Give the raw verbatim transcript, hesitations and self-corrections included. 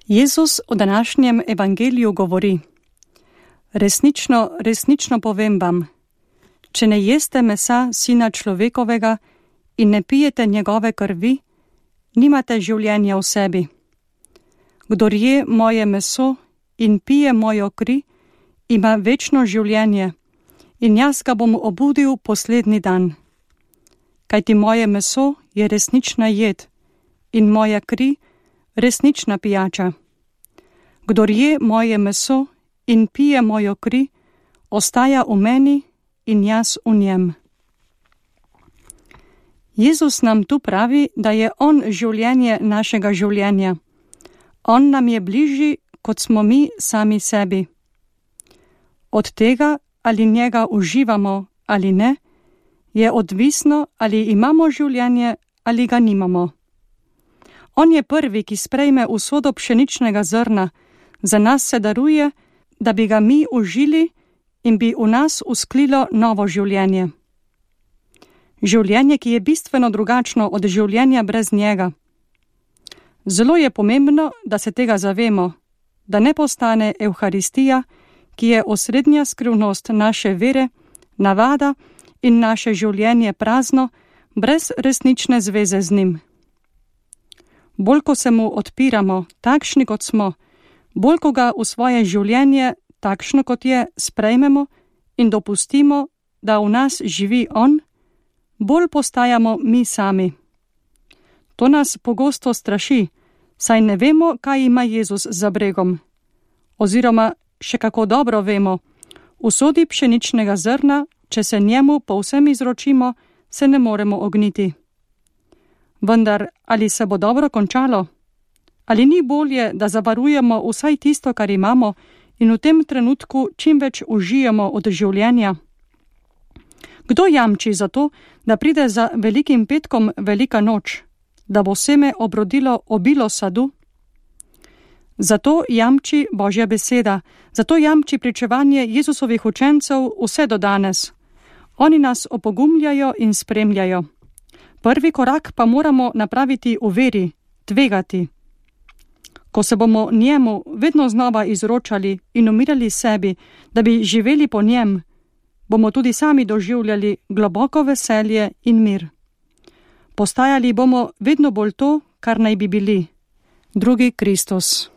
Jezus v današnjem evangeliju govori: Resnično, resnično povem vam, če ne jeste mesa Sina človekovega in ne pijete njegove krvi, nimate življenja v sebi. Kdor je moje meso in pije mojo kri, ima večno življenje in jaz ga bom obudil poslednji dan. Kajti moje meso je resnična jed in moja kri resnična pijača. Kdor je moje meso in pije mojo kri, ostaja v meni in jaz v njem. Jezus nam tu pravi, da je On življenje našega življenja. On nam je bližji, kot smo mi sami sebi. Od tega, ali njega uživamo ali ne, je odvisno, ali imamo življenje ali ga nimamo. On je prvi, ki sprejme usodo pšeničnega zrna, za nas se daruje, da bi ga mi užili in bi v nas usklilo novo življenje. Življenje, ki je bistveno drugačno od življenja brez njega. Zelo je pomembno, da se tega zavemo, da ne postane Evharistija, ki je osrednja skrivnost naše vere, navada in naše življenje prazno, brez resnične zveze z njim. Bolj ko se mu odpiramo, takšni kot smo, bolj ko ga v svoje življenje, takšno kot je, sprejmemo in dopustimo, da v nas živi on, bolj postajamo mi sami. To nas pogosto straši, saj ne vemo, kaj ima Jezus za bregom. Oziroma, še kako dobro vemo, v sodi pšeničnega zrna, če se njemu povsem izročimo, se ne moremo ogniti. Vendar, ali se bo dobro končalo? Ali ni bolje, da zavarujemo vsaj tisto, kar imamo, in v tem trenutku čim več užijemo od življenja? Kdo jamči za to, da pride za velikim petkom velika noč, da bo seme obrodilo obilo sadu? Zato jamči Božja beseda, zato jamči pričevanje Jezusovih učencev vse do danes. Oni nas opogumljajo in spremljajo. Prvi korak pa moramo napraviti v veri, tvegati. Ko se bomo njemu vedno znova izročali in umirali sebi, da bi živeli po njem, bomo tudi sami doživljali globoko veselje in mir. Postajali bomo vedno bolj to, kar naj bi bili, drugi Kristus.